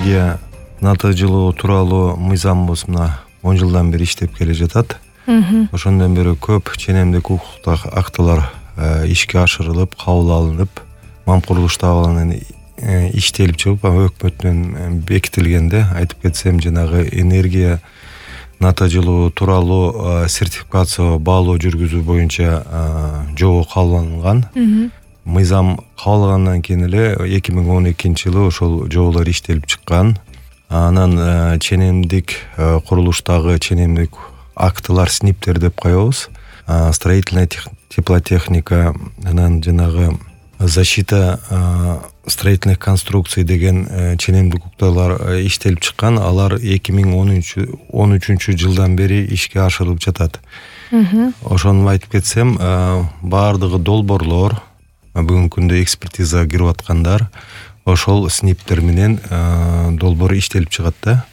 энергия натыйжалуу тууралуу мыйзамыбыз мына 10 жылдан бери иштеп келе жатат. Ошондон бери көп ченемдик укуктук актылар ишке ашырылып, кабыл алынып, МАМ курулуш абалынан иштелип чыгып, өкмөт менен бекитилгенде айтып кетсем, жанагы энергия натыйжалуу тууралуу сертификация баалоо жүргүзүү боюнча жобо кабыл алынган. Мыйзам кабыл алгандан кийин эле 2012-жылы ошол жоболор иштелип чыккан. Анан ченемдик курулуштагы ченемдик актылар СНИПтер деп коебуз. Строительная теплотехника, анан жанагы защита строительных конструкций деген ченемдик укукталар иштелип чыккан. Алар 2013 жылдан бери ишке ашырылып жатат. Ошону айтып кетсем, баардыгы долбоорлор бүгүнкү күндө экспертизага кирип аткандар ошол СНИПтер менен долбоор иштелип чыгат да.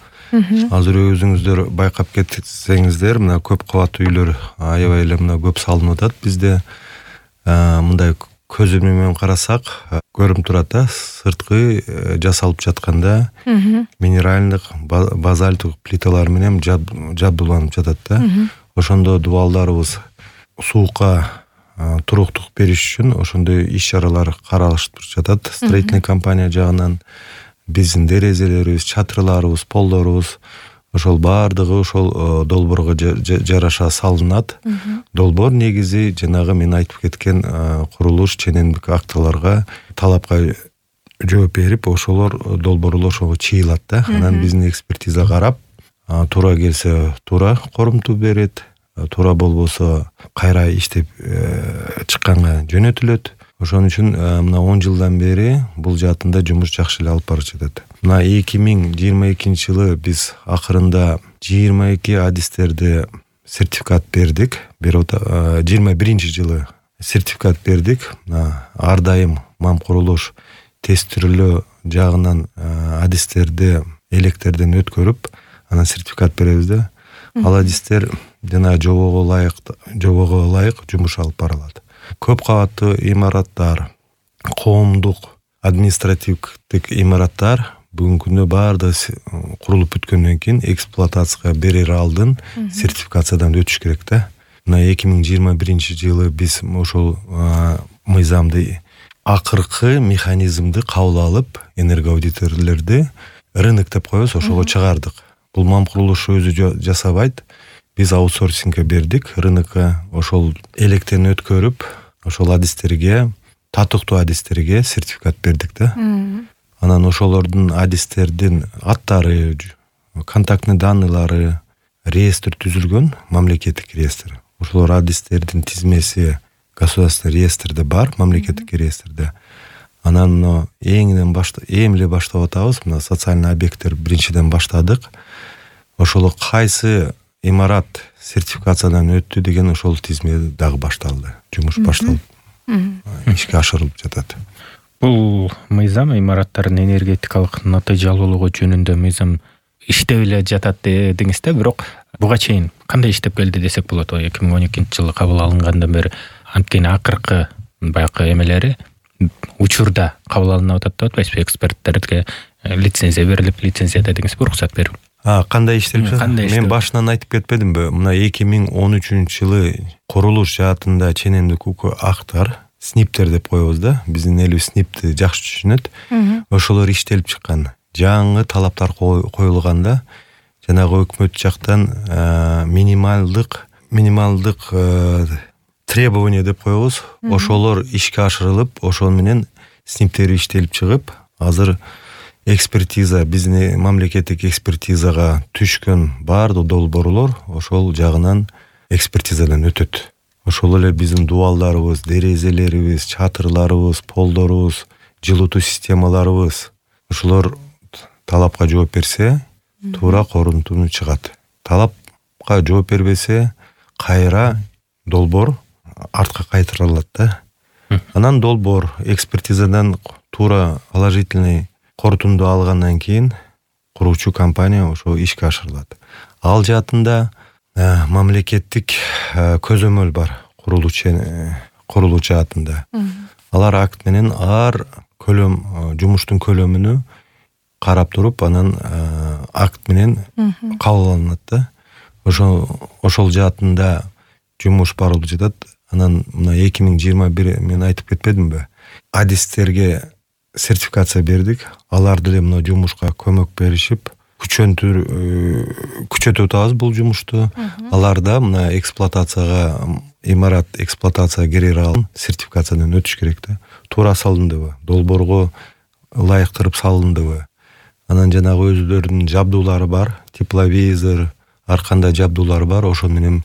Азыр өзүңүздөр байкап кетсеңиздер, мына көп кабаттуу үйлөр аябай эле мына көп салынып атат. Бизде мындай көзү менен карасак көрүнүп турат да, сырткы жасалып жатканда минералдык, базальттык плиталар менен жабдууланып жатат да. Ошондо дубалдарыбыз суукка туруктук бериш үчүн ошондой иш-чаралар каралышып жатат. Строительный компания жагынан биздин дерезелерибиз, чатырларыбыз, полдорубуз ошол баардыгы ошол долбоорго жараша салынат. Долбоор негизи жанагы мен айтып кеткен курулуш ченемдик актыларга, талапка жооп берип, ошолор долбоорлор ошого чыйылат да. Анан биздин экспертиза карап, туура келсе туура корумту берет, туура болбосо кайра иштеп чыкканга жөнөтүлөт. Ошон үчүн мына 10 жылдан бери бул жаатында жумуш жакшы эле алып барып жатат. Мына 2022-жылы биз акырында 22 адистерди сертификат бердик. 21-жылы сертификат бердик. Ар дайым МАМ курулуш тестирлөө жагынан адистерди электерден өткөрүп, анан сертификат беребиз да. Ал адистер жана жобого ылайык жумуш алып барылат. Көп кабаттуу имараттар, коомдук административдик имараттар бүгүнкү күндө баардыгы курулуп бүткөндөн кийин эксплуатацияга берер алдын сертификациядан өтүш керек да. Мына 2021-жылы биз ошол мыйзамды, акыркы механизмди кабыл алып, энергоаудиторлорду рынок деп коебуз, ошого чыгардык. Бул МАМ курулуш өзү жасабайт. Биз аутсорсингге бердик, рынокко ошол электен өткөрүп, ошол адистерге, татыктуу адистерге сертификат бердик да. Анан ошолордун адистердин аттары, контактный данныйлары, реестр түзүлгөн, мамлекеттик реестр. Ошолор адистердин тизмеси государственный реестрде бар, мамлекеттик реестрде. Анан эми эле баштап атабыз, мына социальный объекттер биринчиден баштадык. Ошол кайсы имарат сертификациядан өттү деген ошол тизме дагы башталды. Жумуш башталып, ишке ашырылып жатат. Бул мыйзам имараттардын энергетикалык натыйжалуулугу жөнүндө мыйзам иштеп эле жатат дедиңиз да, бирок буга чейин кандай иштеп келди десек болот? 2012-жылы кабыл алынгандан бери анткени акыркы баягы эмелери учурда кабыл алынып атат деп атпайсызбы? Эксперттерге лицензия берилип, лицензия дедиңиз, уруксат берип. Кандай иштелип жатат? Мен башынан айтып кетпедимби? Мына 2013-жылы курулуш жаатында ченемдик актар, СНИПтер деп коебуз да. Биздин элибиз СНИПти жакшы түшүнөт. Ошолор иштелип чыккан. Жаңы талаптар коюлганда, жанагы өкмөт жактан минималдык требование деп коебуз. Ошолор ишке ашырылып, ошол менен СНИПтер иштелип чыгып, азыр экспертиза, биздин мамлекеттик экспертизага түшкөн баардык долбоорлор ошол жагынан экспертизадан өтөт. Ошол эле биздин дубалдарыбыз, дерезелерибиз, чатырларыбыз, полдорубуз, жылытуу системаларыбыз ошолор талапка жооп берсе, туура корунтуну чыгат. Талапка жооп бербесе, кайра долбоор артка кайтарылат да. Анан долбоор экспертизадан туура положительный корутунду алгандан кийин куруучу компания ошо ишке ашырылат. Ал жаатында мамлекеттик көзөмөл бар курулуу жаатында. Алар акт менен ар жумуштун көлөмүнү карап туруп анан акт менен кабыл алынат да. Ошол жаатында жумуш барылып жатат. Анан мына 2021 мен айтып кетпедимби? Адистерге сертификация бердик. Алар деле мына жумушка көмөк беришип, күчөтүп атабыз бул жумушту. Алар да мына эксплуатацияга, имарат эксплуатацияга кире алып сертификациядан өтүш керек да. Туура салындыбы? Долбоорго ылайыктырып салындыбы? Анан жанагы өзүлөрүнүн жабдуулары бар, тепловизор, ар кандай жабдуулары бар, ошол менен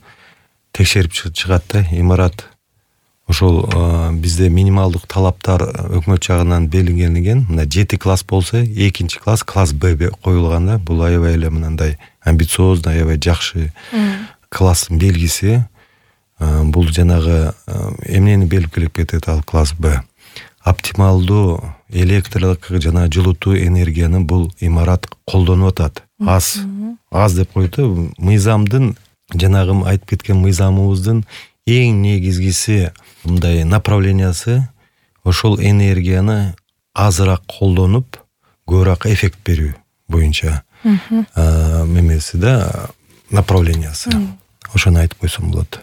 текшерип чыгат да. Имарат ошол бизде минималдык талаптар өкмөт жагынан белгиленген. Мына 7 класс болсо, 2 класс класс Б коюлган да. Бул аябай эле мындай амбициозный, аябай жакшы класстын белгиси. Бул жанагы эмнени белгилеп кетет ал класс Б? Оптималдуу электрлик жана жылытуу энергияны бул имарат колдонуп атат. Аз деп коет. Мыйзамдын, жанагы айтып кеткен мыйзамыбыздын эң негизгиси мындай направлениясы ошол энергияны азыраак колдонуп, көбүрөөк эффект берүү боюнча мемеси да, направлениясы. Ошону айтып койсом болот.